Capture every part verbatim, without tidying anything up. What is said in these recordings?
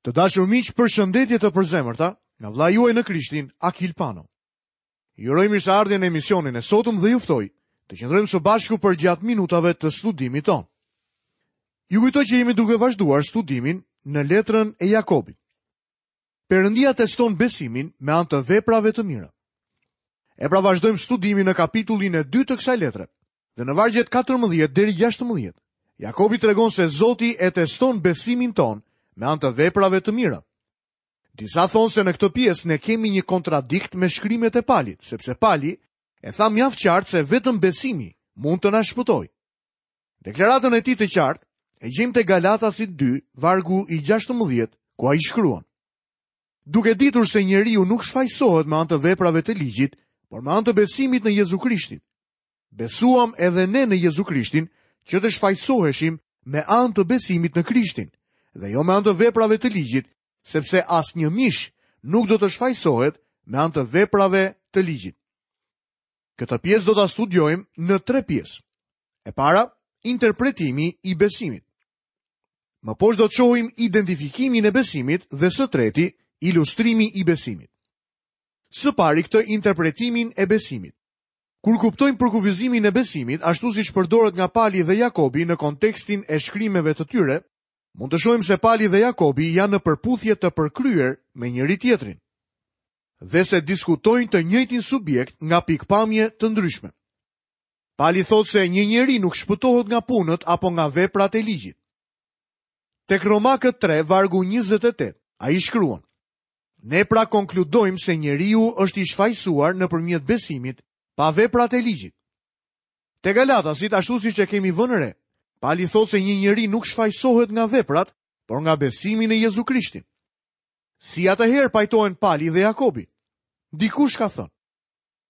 Të dashur miq, përshëndetje të përzemërta nga vëllai juaj në Krishtin, Akil Pano. Ju uroj mirëseardhjen në emisionin e sotëm dhe ju ftoj të qëndrojmë së bashku përgjatë minutave të studimit tonë. Ju kujtoj që jemi duke vazhduar studimin në letrën e Jakobit. Perëndia teston besimin me anë të veprave të mira. E pra vazhdojmë studimin në kapitullin e dytë të kësaj letre. Dhe në vargjet katërmbëdhjetë deri gjashtëmbëdhjetë, Jakobi tregon se Zoti e teston besimin tonë me anë të veprave të mira. Disa thonë se në këtë pjesë ne kemi një kontradikt me shkrimet e Palit, sepse Pali e tha mjaft qartë se vetëm besimi mund të na shpëtojë. Deklaratën e tij të qartë e gjejmë te Galatasit dy, vargu i gjashtëmbëdhjetë, ku ai shkruan: Duke ditur se njeriu nuk shfajsohet me anë të veprave të ligjit, por me anë të besimit në Jezu Krishtin. Besuam edhe ne në Jezu Krishtin që të shfajsoheshim me anë të besimit në Krishtin, dhe jo me anë të veprave të ligjit, sepse asnjë mish nuk do të shfajsohet me anë të veprave të ligjit. Këtë pjesë do ta studiojmë në tre pjesë. E para, interpretimi i besimit. Më poshtë do të shohim identifikimin e besimit dhe së treti, ilustrimi i besimit. Së pari këtë interpretimin e besimit. Kur kuptojmë përkufizimin e besimit, ashtu siç përdoret nga Pali dhe Jakobi në kontekstin e shkrimeve të tyre, mund të shohim se Pali dhe Jakobi janë në përputhje të përkryer me njëri tjetrin dhe se diskutojnë të njëjtin subjekt nga pikpamje të ndryshme. Pali thotë se një njeri nuk shpëtohet nga punët apo nga veprat e ligjit. Tek Romakët tre, vargu njëzet e tetë, ai shkruan: Ne pra konkludojmë se njeriu është i shfajsuar nëpërmjet besimit pa veprat e ligjit. Te Galatasit, ashtu siç e kemi vënë re, Pali thotë se një njeri nuk shfajsohet nga veprat, por nga besimi në Jezu Krishtin. Si atëherë pajtohen Pali dhe Jakobi? Dikush ka thënë: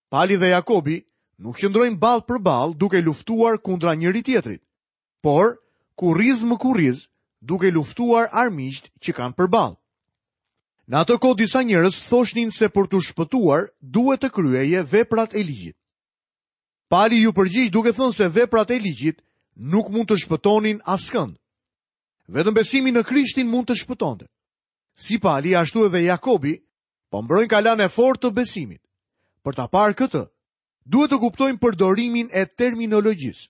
Pali dhe Jakobi nuk qëndrojnë ballë për ballë duke luftuar kundra njëri tjetrit, por kurriz më kurriz duke luftuar armiqt që kanë përballë. Në atë kohë disa njerëz thoshnin se për t'u shpëtuar duhet të kryeje veprat e ligjit. Pali ju përgjigj duke thënë se veprat e ligjit nuk mund të shpëtonin askënd. Vetëm besimi në Krishtin mund të shpëtonte. Si Pali, ashtu edhe Jakobi, po mbrojnë kalanë e fortë të besimit. Për ta parë këtë, duhet të kuptojmë përdorimin e terminologjisë.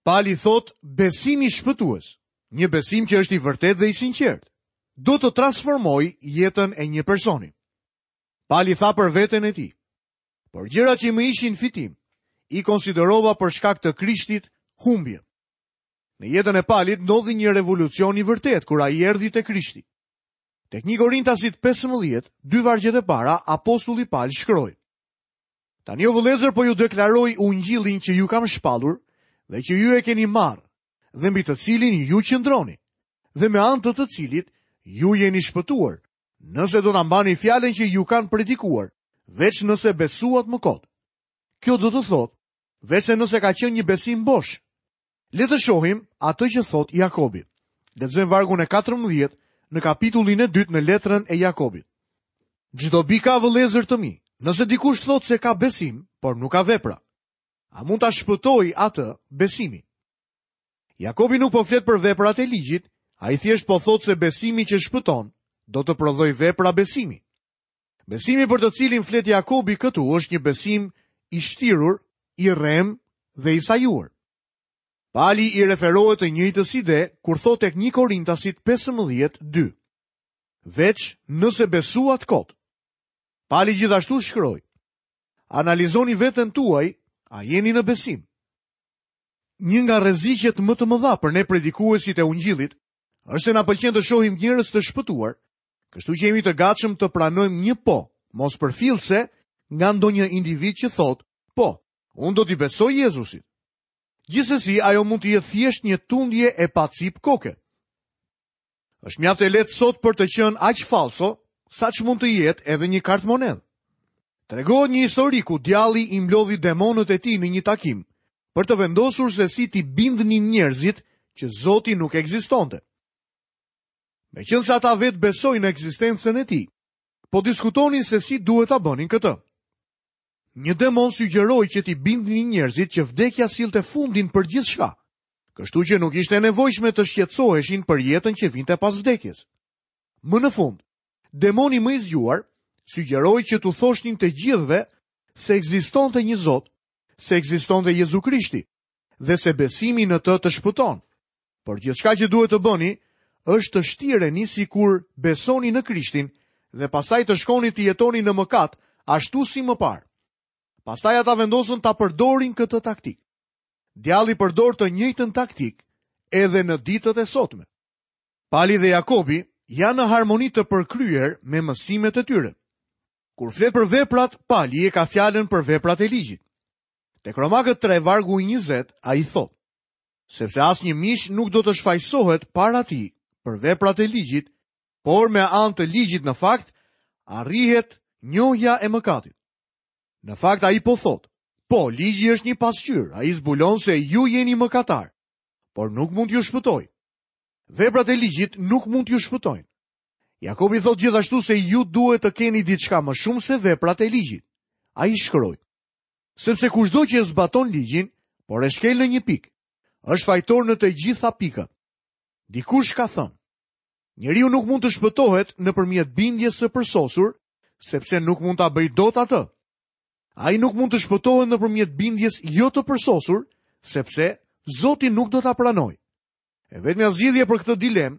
Pali thot besimi shpëtues, një besim që është i vërtetë dhe i sinqertë, do të transformojë jetën e një personi. Pali tha për veten e tij: Por gjërat që më ishin fitim, i konsiderova për shkak të Krishtit humbje. Në jetën e Palit ndodhi një revolucion i vërtetë kur ai erdhi te Krishti. Tek një Korintasit pesëmbëdhjetë, dy vargjet e para, apostulli Pal shkroi: Tani o vëllezër, po ju deklaroj ungjillin që ju kam shpallur dhe që ju e keni marrë, dhe mbi të cilin ju qëndroni, dhe me anë të të cilit ju jeni shpëtuar, nëse do ta mbani fjalën që ju kanë predikuar, veç nëse besuat më kot. Kjo do të thotë, veç se nëse ka qenë një besim bosh. Le të shohim atë që thot Jakobi. Lexojmë vargun e katërmbëdhjetë në kapitullin e dytë në letrën e Jakobit. Çdo bi ka vëllezër të mi, nëse dikush thotë se ka besim, por nuk ka vepra, a mund ta shpëtoj atë besimi? Jakobi nuk po flet për veprat e ligjit, ai thjesht po thotë se besimi që shpëton do të prodhojë vepra besimi. Besimi për të cilin flet Jakobi këtu është një besim i shtirur, i rrem dhe i sajuar. Pali i referohet të njëjtës ide kur thotë tek një Korintasit pesëmbëdhjetë dy. Veç nëse besuat kot. Pali gjithashtu shkroi: Analizoni veten tuaj, a jeni në besim? Një nga rreziqet më të mëdha për ne predikuesit e ungjillit është se na pëlqen të shohim njerëz të shpëtuar, kështu që jemi të gatshëm të pranojmë një po, mos përfillse nga ndonjë individ që thotë, po, unë do t'i besoj Jezusit. Gjithsesi, ajo mund të jetë thjesht një tundje e pacip koke. Është mjaft e lehtë sot për të qenë aq falso, sa që mund të jetë edhe një kartmonedhë. Tregohet një histori ku djalli i mblodhi demonët e tij në një takim, për të vendosur se si t'i bindnin njerëzit që Zoti nuk ekzistonte. Meqense ata vetë besojnë në ekzistencën e tij, po diskutonin se si duhet ta bënin këtë. Një demon sugjeroi që t'i bindnin njerëzit që vdekja sillte fundin për gjithçka, kështu që nuk ishte e nevojshme të shqetësoheshin për jetën që vinte pas vdekjes. Më në fund, demoni më i zgjuar sugjeroi që t'u thoshnin të gjithëve se ekzistonte një Zot, se ekzistonte Jezu Krishti dhe se besimi në të të shpëton. Por gjithçka që duhet të bëni është të shtireni sikur besoni në Krishtin dhe pastaj të shkoni të jetoni në mëkat, ashtu si më parë. Pastaj ata vendosën ta përdorin këtë taktik. Djalli përdor të njëjtën taktik edhe në ditët e sotme. Pali dhe Jakobi janë në harmoni të përkryer me mësimet e tyre. Kur flet për veprat, Pali e ka fjalën për veprat e ligjit. Tek Romakët tre vargu i njëzet, ai thotë: sepse asnjë mish nuk do të shfajsohet para tij për veprat e ligjit, por me anë të ligjit në fakt arrihet njohja e mëkatit. Në fakt ai po thotë, po, ligji është një pasqyrë, ai zbulon se ju jeni mëkatar, por nuk mund t'ju shpëtoj. Veprat e ligjit nuk mund t'ju shpëtojnë. Jakobi thotë gjithashtu se ju duhet të keni diçka më shumë se veprat e ligjit. Ai shkroi: sepse kushdo që e zbaton ligjin, por e shkel në një pikë, është fajtor në të gjitha pikat. Dikush ka thënë: njeriu nuk mund të shpëtohet nëpërmjet bindjes së përsosur, sepse nuk mund ta bëjë dot atë. Ai nuk mund të shpëtohet nëpërmjet bindjes jo të përsosur, sepse Zoti nuk do ta pranojë. E vetmja zgjidhje për këtë dilemë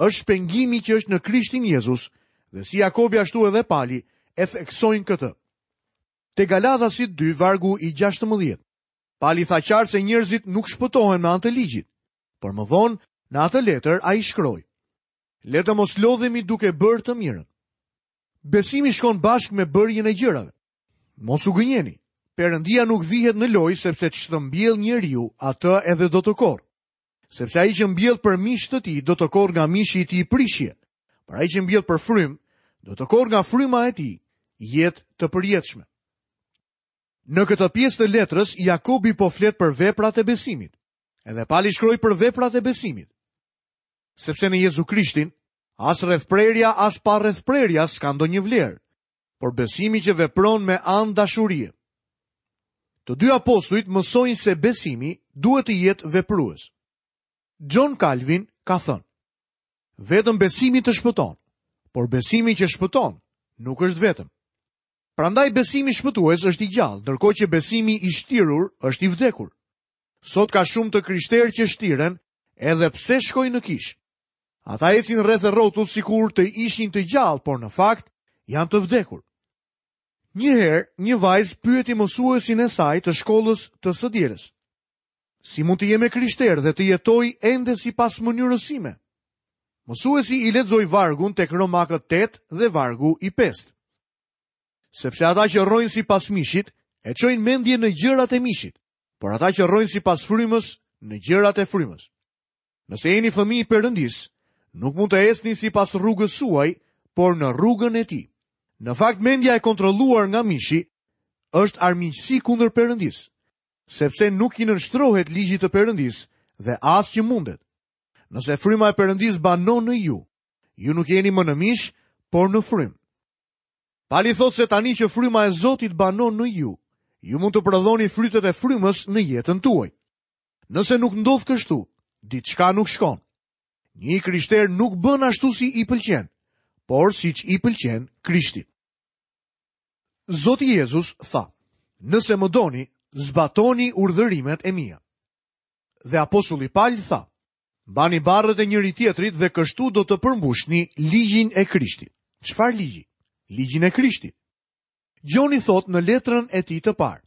është shpengimi që është në Krishtin Jezus, dhe si Jakobi ashtu edhe Pali e theksojnë këtë. Te Galatasit dy vargu i gjashtëmbëdhjetë. Pali tha qartë se njerëzit nuk shpëtohen me anë të ligjit, por më vonë në atë letër ai shkroi: le të mos lodhemi duke bërë të mirën. Besimi shkon bashkë me bërjen e gjërave. Mos u gënjeni. Perëndia nuk vihet në lojë, sepse ç'të mbjell njeriu, atë edhe do të korrë. Sepse ai që mbjell për mish të tij do të korrë nga mishi i tij prishje, por ai që mbjell për frymë do të korrë nga fryma e tij jetë të përjetshme. Në këtë pjesë të letrës, Jakobi po flet për veprat e besimit. Edhe Pali shkroi për veprat e besimit. Sepse në Jezu Krishtin, as rrethprerja, as pa rrethprerja s'ka ndonjë vlerë, por besimi që vepron me anë dashurie. Të dy apostujt mësojnë se besimi duhet të jetë veprues. John Calvin ka thënë: vetëm besimi të shpëton, por besimi që shpëton nuk është vetëm. Prandaj besimi shpëtues është i gjallë, ndërkohë që besimi i shtirur është i vdekur. Sot ka shumë të krishterë që shtiren edhe pse shkojnë në kishë. Ata ecin rreth e rrotull sikur të ishin të gjallë, por në fakt janë të vdekur. Një herë, një vajzë pyeti mësuesin e saj të shkollës të së dielës: si mund të jem e krishterë dhe të jetoj ende sipas mënyrës sime? Mësuesi i lexoi vargun tek Romakët tetë dhe vargu i pestë. Sepse ata që rrojnë sipas mishit, e çojnë mendjen në gjërat e mishit, por ata që rrojnë sipas frymës, në gjërat e frymës. Nëse jeni fëmijë i Perëndisë, nuk mund të ecni sipas rrugës suaj, por në rrugën e tij. Në fakt, mendja e kontrolluar nga mishi është armiqësi kundër Perëndisë, sepse nuk i nënshtrohet ligjit të Perëndisë dhe as që mundet. Nëse fryma e Perëndisë banon në ju, ju nuk jeni më në mish, por në frymë. Pali thotë se tani që fryma e Zotit banon në ju, ju mund të prodhoni frytet e frymës në jetën tuaj. Nëse nuk ndodh kështu, diçka nuk shkon. Një krishter nuk bën ashtu si i pëlqen, por siç i pëlqen Krishtit. Zoti Jezus tha: nëse më doni, zbatoni urdhërimet e mia. Dhe apostulli Paul tha: mbani barrët e njëri tjetrit dhe kështu do të përmbushni ligjin e Krishtit. Çfarë ligji? Ligjin e Krishtit. Gjoni thot në letrën e tij të parë: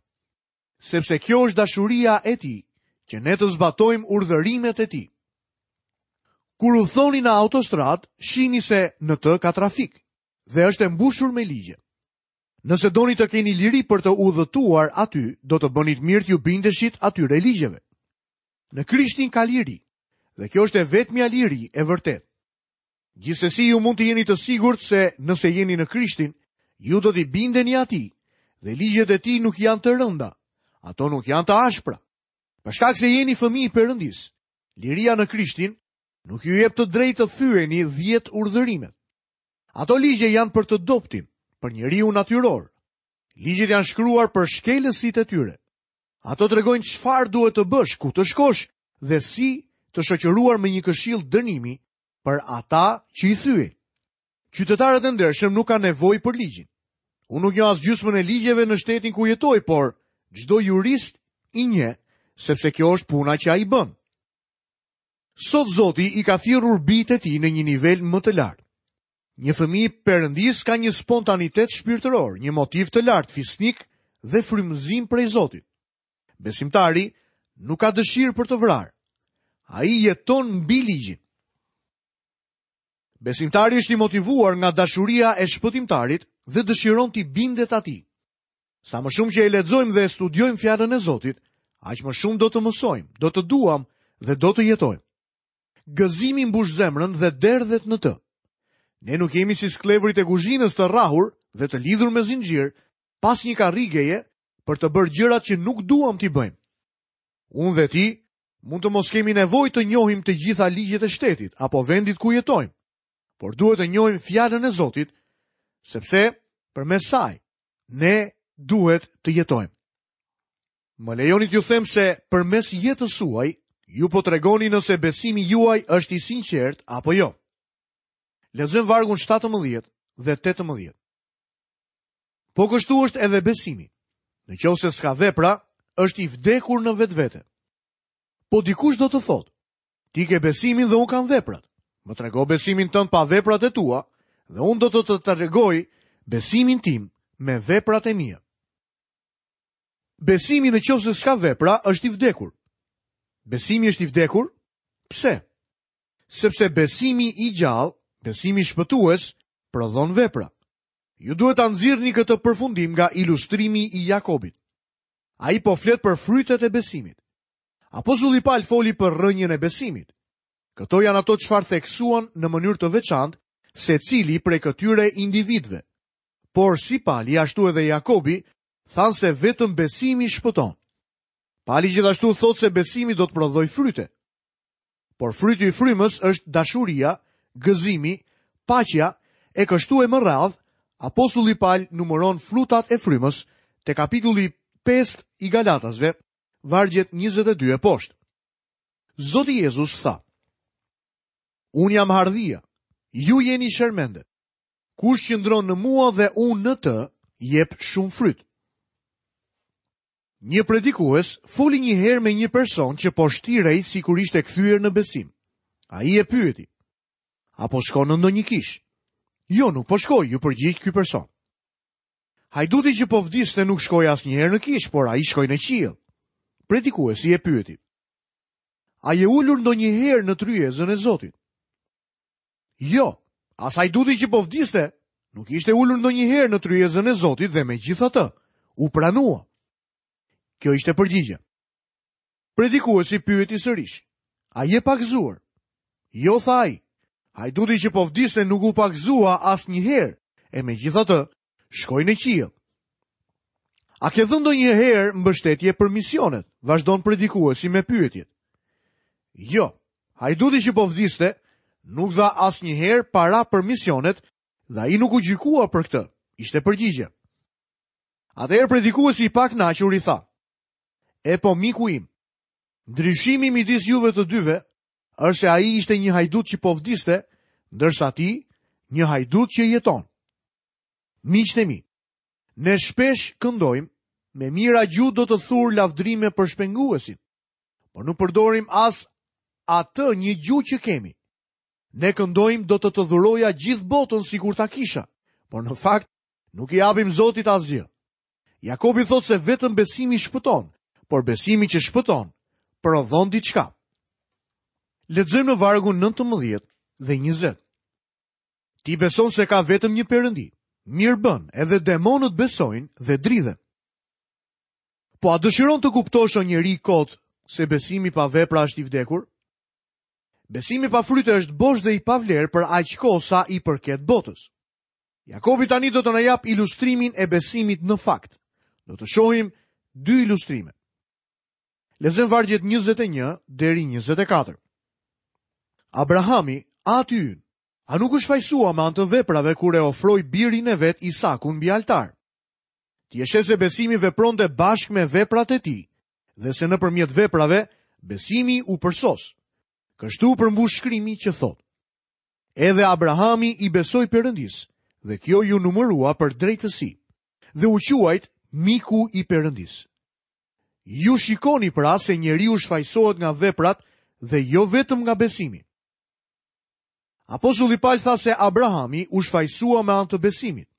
sepse kjo është dashuria e tij, që ne të zbatojmë urdhërimet e tij. Kur udhëtoni në autostradë, shihni se në të ka trafik dhe është e mbushur me ligje. Nëse doni të keni liri për të udhëtuar aty, do të bënit mirë t'ju bindeshit atyre ligjeve. Në Krishtin ka liri, dhe kjo është e vetmja liri e vërtetë. Gjithsesi ju mund të jeni të sigurt se nëse jeni në Krishtin, ju do t'i bindeni atij, dhe ligjet e tij nuk janë të rënda, ato nuk janë të ashpra. Për shkak se jeni fëmijë i Perëndisë, liria në Krishtin nuk ju jep të drejtë të thyeni dhjetë urdhërimet. Ato ligje janë për të dobtin, për njeriu natyror. Ligjet janë shkruar për shkelësit e tyre. Ato tregojnë çfarë duhet të bësh, ku të shkosh dhe si të shoqëruar me një këshill dënimi për ata që i thyejnë. Qytetarët e ndershëm nuk kanë nevojë për ligjin. Unë nuk njoh as gjysmën e ligjeve në shtetin ku jetoj, por çdo jurist i njeh, sepse kjo është puna që ai bën. Sot Zoti i ka thirrur bijtë e tij në një nivel më të lartë. Një fëmijë perëndis ka një spontanitet shpirtëror, një motiv të lartë fisnik dhe frymëzim prej Zotit. Besimtari nuk ka dëshirë për të vrarë. Ai jeton mbi ligjin. Besimtari është i motivuar nga dashuria e shpëtimtarit dhe dëshiron t'i bindet atij. Sa më shumë që e lexojmë dhe e studiojmë fjalën e Zotit, aq më shumë do të mësojmë, do të duam dhe do të jetojmë. Gëzimi mbush zemrën dhe derdhet në të. Ne nuk jemi si sklevërit e kuzhinës të rrahur dhe të lidhur me zinxhir pas një karrigeje për të bërë gjërat që nuk duam t'i bëjmë. Unë dhe ti mund të mos kemi nevojë të njohim të gjitha ligjet e shtetit apo vendit ku jetojmë, por duhet të njohim fjalën e Zotit, sepse përmes saj ne duhet të jetojmë. Më lejoni t'ju them se përmes jetës suaj ju po tregoni nëse besimi juaj është i sinqert apo jo. Lexojmë vargun shtatëmbëdhjetë dhe tetëmbëdhjetë. Po kështu është edhe besimi. Në qoftë se s'ka vepra, është i vdekur në vetvete. Po dikush do të thotë, ti ke besimin dhe unë kam veprat. Më trego besimin tënd pa veprat e tua, dhe unë do të të tregoj besimin tim me veprat e mia. Besimi në qoftë se s'ka vepra është i vdekur. Besimi është i vdekur? Pse? Sepse besimi i gjallë, besimi shpëtues, prodhon vepra. Ju duhet ta nxirrni këtë përfundim nga ilustrimi i Jakobit. Ai po flet për frytet e besimit. Apostulli Paul foli për rrënjën e besimit. Këto janë ato çfarë theksuan në mënyrë të veçantë secili prej këtyre individëve. Por si Pali ashtu edhe Jakobi thanë se vetëm besimi shpëton. Pali gjithashtu thotë se besimi do të prodhojë fryte. Por fryti i frymës është dashuria, gëzimi, paqja e kështu e më radhë. Apostulli Paul numëron frutat e frymës te kapitulli pesë i Galatasve, vargjet njëzet e dy e poshtë. Zoti Jezus tha: Unë jam hardhia, ju jeni shermendet. Kush qëndron në mua dhe unë në të, jep shumë fryt. Një predikues foli një herë me një person që po shtirej sikur ishte kthyer në besim. Ai e pyeti: "Apo shkon në ndonjë kishë?" "Jo, nuk po shkoj," ju përgjigj ky person. Hajduti që po vdiste nuk shkoi asnjëherë në kishë, por ai shkoi në qiell. Predikuesi e pyeti: "A je ulur ndonjëherë në tryezën e Zotit?" Jo, as hajduti që po vdiste nuk ishte ulur ndonjëherë në tryezën e Zotit dhe megjithatë u pranua. Kjo ishte përgjigja. Predikuesi pyeti sërish: "A je pagëzuar?" "Jo," tha ai. Hajduti që po vdiste nuk u pagëzua asnjëherë, e megjithatë shkoi në qiell. "A ke dhënë ndonjëherë mbështetje për misionet?" Vazhdon predikuesi me pyetjet. Jo, hajduti që po vdiste nuk dha asnjëherë para për misionet dhe ai nuk u gjykua për këtë, ishte përgjigja. Atëherë predikuesi i pakënaqur i tha: "E po miku im, ndryshimi midis juve të dyve është se ai ishte një hajdut që po vdiste, ndërsa ti një hajdut që jeton." Miqtë e mi, ne shpesh këndojmë, me mira gjuhë do të thur lavdrime për shpenguesin, por nuk përdorim as atë një gjuhë që kemi. Ne këndojmë do të të dhuroja gjithë botën sikur ta kisha, por në fakt nuk i japim Zotit asgjë. Jakobi thotë se vetëm besimi shpëton, por besimi që shpëton prodhon diçka. Lexojmë në vargun nëntëmbëdhjetë dhe njëzet. Ti beson se ka vetëm një perëndi. Mirë bën, edhe demonët besojnë dhe dridhen. Po a dëshiron të kuptosh o njeri kot se besimi pa vepra është i vdekur? Besimi pa fryte është bosh dhe i pavlerë për aq kohë sa i përket botës. Jakobi tani do të na jap ilustrimin e besimit në fakt. Do të shohim dy ilustrime. Lexojmë vargjet njëzet e një deri njëzet e katër. Abrahami, ati ynë, a nuk u shfajsua me anë të veprave kur e ofroi birin e vet Isakun mbi altar? Ti e sheh se besimi vepronte bashkë me veprat e tij, dhe se nëpërmjet veprave besimi u përsos. Kështu përmbush shkrimi që thotë: Edhe Abrahami i besoi Perëndisë, dhe kjo iu numërua për drejtësi, dhe u quajt miku i Perëndisë. Ju shikoni pra se njeriu shfajsohet nga veprat dhe jo vetëm nga besimi. Apostulli Paul tha se Abrahami u shfajsua me anë të besimit.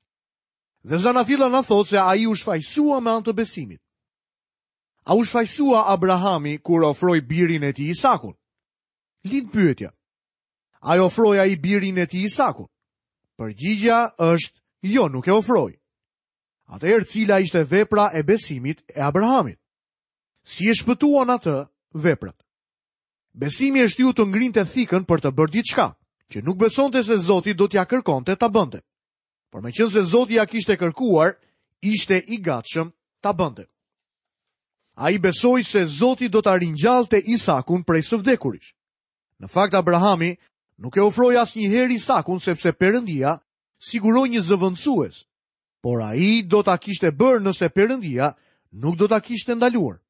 Dhe Zanafilla na thotë se ai u shfajsua me anë të besimit. A u shfajsua Abrahami kur ofroi birin e tij Isakun? Lind pyetja. A e ofroi ai birin e tij Isakun? Përgjigja është jo, nuk e ofroi. Atëherë cila ishte vepra e besimit e Abrahamit? Si e shpëtuan atë veprat? Besimi e shtyu të ngrinte thikën për të bërë diçka, që nuk besonte se Zoti do t'ja kërkonte ta bënte. Por meqenëse Zoti ja kishte kërkuar, ishte i gatshëm ta bënte. Ai besoi se Zoti do ta ringjallte Isakun prej së vdekurish. Në fakt Abrahami nuk e ofroi asnjëherë Isakun sepse Perëndia siguroi një zëvendësues, por ai do ta kishte bërë nëse Perëndia nuk do ta kishte ndaluar.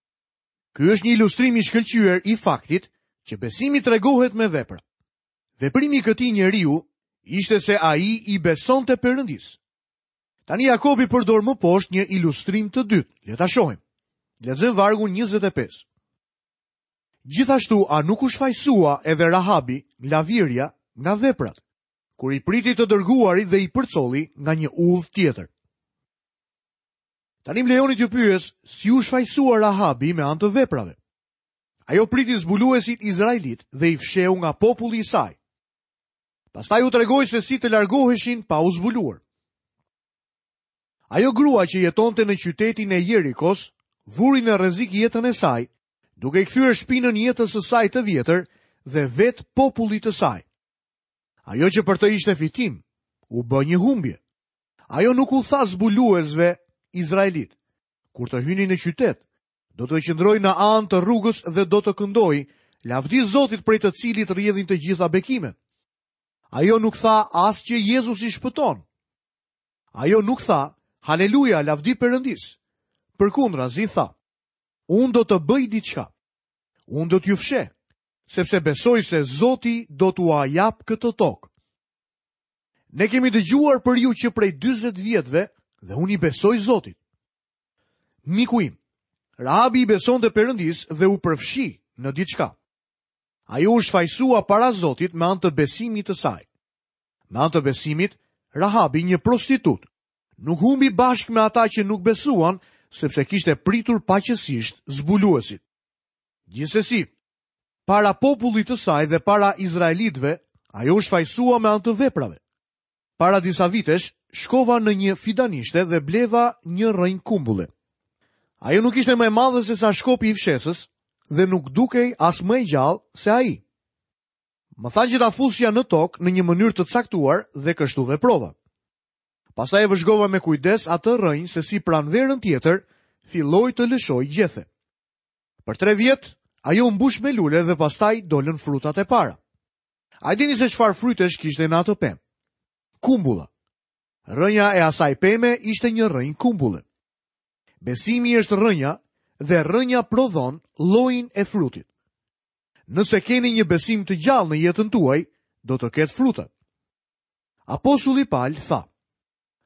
Ky është një ilustrim i shkëlqyer i faktit që besimi tregohet me vepra. Veprimi i këtij njeriu ishte se ai i besonte Perëndisë. Tani Jakobi përdor më poshtë një ilustrim të dytë. Le ta shohim. Lexojmë vargun njëzet e pesë. Gjithashtu, a nuk u shfajsua edhe Rahabi, lavirja, nga veprat, kur i priti të dërguarit dhe i përcolli nga një udhë tjetër? Tani më lejoni t'ju pyes, si u shfajsua Rahabi me anë të veprave? Ajo priti zbuluesit izraelit dhe i fsheu nga populli i saj. Pastaj u tregoi se si të largoheshin pa u zbuluar. Ajo grua që jetonte në qytetin e Jerikos vuri në rrezik jetën e saj, duke i kthyer shpinën jetës së saj të vjetër dhe vetë popullit të saj. Ajo që për të ishte fitim, u bë një humbje. Ajo nuk u tha zbuluesve izraelit, kur të hyni në qytet, do të qëndroj në anë të rrugës dhe do të këndoj, lavdi Zotit prej të cilit rrjedhin të gjitha bekimet. Ajo nuk tha as që Jezusi shpëton. Ajo nuk tha, haleluja, lavdi Perëndis. Përkundrazi tha, unë do të bëj diçka. Unë do t'ju fsheh, sepse besoj se Zoti do t'ua jap këtë tokë. Ne kemi dëgjuar për ju që prej dyzet vjetëve dhe unë i besoj Zotit. Miku im, Rahabi i besonte Perëndis dhe u përfshi në diçka. Ajo u shfajsua para Zotit me anë të besimit të saj. Me anë të besimit, Rahabi, një prostitut, nuk humbi bashkë me ata që nuk besuan, sepse kishte pritur paqësisht zbuluesit. Gjithsesi, para popullit të saj dhe para izraelitëve, ajo u shfajsua me anë të veprave. Para disa vitesh, shkova në një fidanishte dhe bleva një rrënjë kumbulle. Ajo nuk ishte më e madhe se sa shkopi i fshesës dhe nuk dukej as më e gjallë se ai. Më thanë që ta fusja në tokë në një mënyrë të caktuar dhe kështu veprova. Pastaj e vëzhgova me kujdes atë rrënjë se si pranverën tjetër filloi të lëshoj gjethe. Për tre vjet ajo u mbush me lule dhe pastaj dolën frutat e para. A dini se çfarë frytesh kishte në atë pemë? Kumbulla. Rrënja e asaj peme ishte një rrënjë kumbulle. Besimi është rrënja dhe rrënja prodhon llojin e frutit. Nëse keni një besim të gjallë në jetën tuaj, do të ketë fruta. Apostulli Paul tha: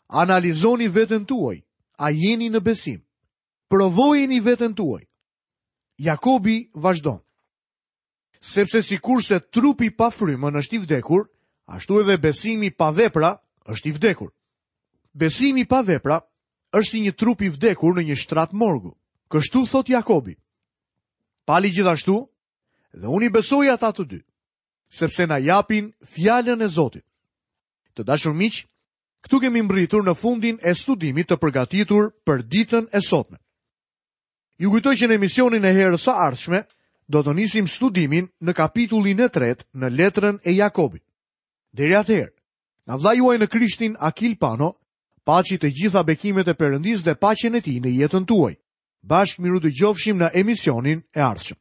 Analizoni veten tuaj, a jeni në besim? Provojeni veten tuaj. Jakobi vazhdon: Sepse sikurse trupi pa frymën është i vdekur, ashtu edhe besimi pa vepra është i vdekur. Besimi pa vepra është si një trup i vdekur në një shtrat morgu. Kështu thot Jakobi. Pali gjithashtu, dhe unë i besoj ata të dy, sepse na japin fjalën e Zotit. Të dashur miq, këtu kemi mbërritur në fundin e studimit të përgatitur për ditën e sotme. Ju kujtoj që në emisionin e herës së ardhshme do të nisim studimin në kapitullin e tretë në letrën e Jakobit. Deri atëherë, nga vëllai juaj në Krishtin Akil Pano, paçi të gjitha bekimet e Perëndisë dhe paqen e tij në jetën tuaj. Bashkë miru dëgjofshim në emisionin e ardhshëm.